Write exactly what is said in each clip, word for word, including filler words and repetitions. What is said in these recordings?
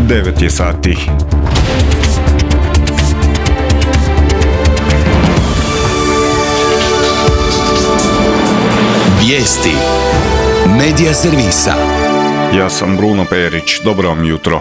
devet je sati. Vijesti Medija servisa. Ja sam Bruno Perić, dobro vam jutro.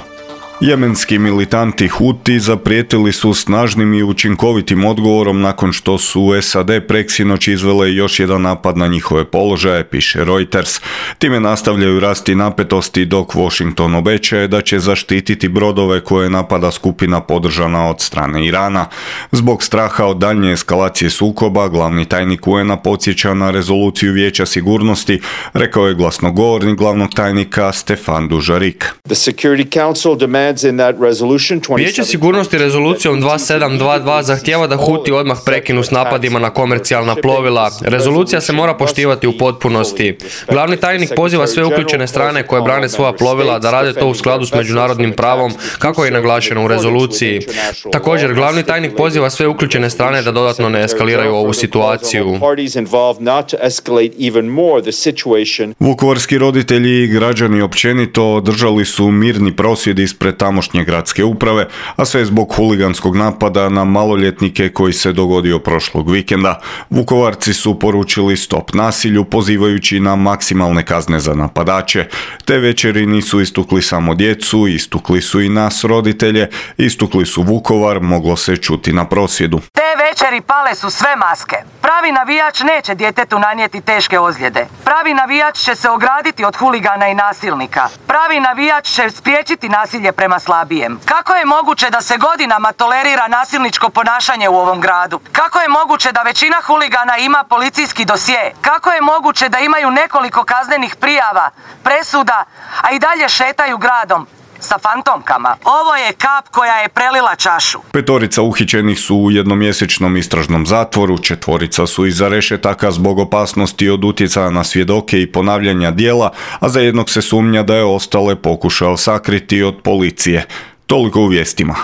Jemenski militanti Huti zaprijetili su snažnim i učinkovitim odgovorom nakon što su S A D preksinoć izvele još jedan napad na njihove položaje, piše Reuters. Time nastavljaju rasti napetosti dok Washington obećaje da će zaštititi brodove koje napada skupina podržana od strane Irana. Zbog straha od daljnje eskalacije sukoba, glavni tajnik U N A podsjeća na rezoluciju Vijeća sigurnosti, rekao je glasnogovornik glavnog tajnika Stefan Dujarric. Vijeće sigurnosti rezolucijom dva sedam dva dva zahtijeva da Huti odmah prekinu s napadima na komercijalna plovila. Rezolucija se mora poštivati u potpunosti. Glavni tajnik poziva sve uključene strane koje brane svoja plovila da rade to u skladu s međunarodnim pravom, kako je naglašeno u rezoluciji. Također, glavni tajnik poziva sve uključene strane da dodatno ne eskaliraju ovu situaciju. Vukovarski roditelji i građani općenito održali su mirni prosvjed ispred tamošnje gradske uprave, a sve zbog huliganskog napada na maloljetnike koji se dogodio prošlog vikenda. Vukovarci su poručili stop nasilju, pozivajući na maksimalne kazne za napadače. Te večeri nisu istukli samo djecu, istukli su i nas roditelje, istukli su Vukovar, moglo se čuti na prosvjedu. Te večeri pale su sve maske. Pravi navijač neće djetetu nanijeti teške ozljede. Pravi navijač će se ograditi od huligana i nasilnika. Pravi navijač će spriječiti nasilje prema slabijem. Kako je moguće da se godinama tolerira nasilničko ponašanje u ovom gradu? Kako je moguće da većina huligana ima policijski dosje? Kako je moguće da imaju nekoliko kaznenih prijava, presuda, a i dalje šetaju gradom sa fantomkama? Ovo je kap koja je prelila čašu. Petorica uhićenih su u jednomjesečnom istražnom zatvoru, četvorica su iza rešetaka zbog opasnosti od utjecaja na svjedoke i ponavljanja djela, a za jednog se sumnja da je ostale pokušao sakriti od policije. Toliko u vijestima.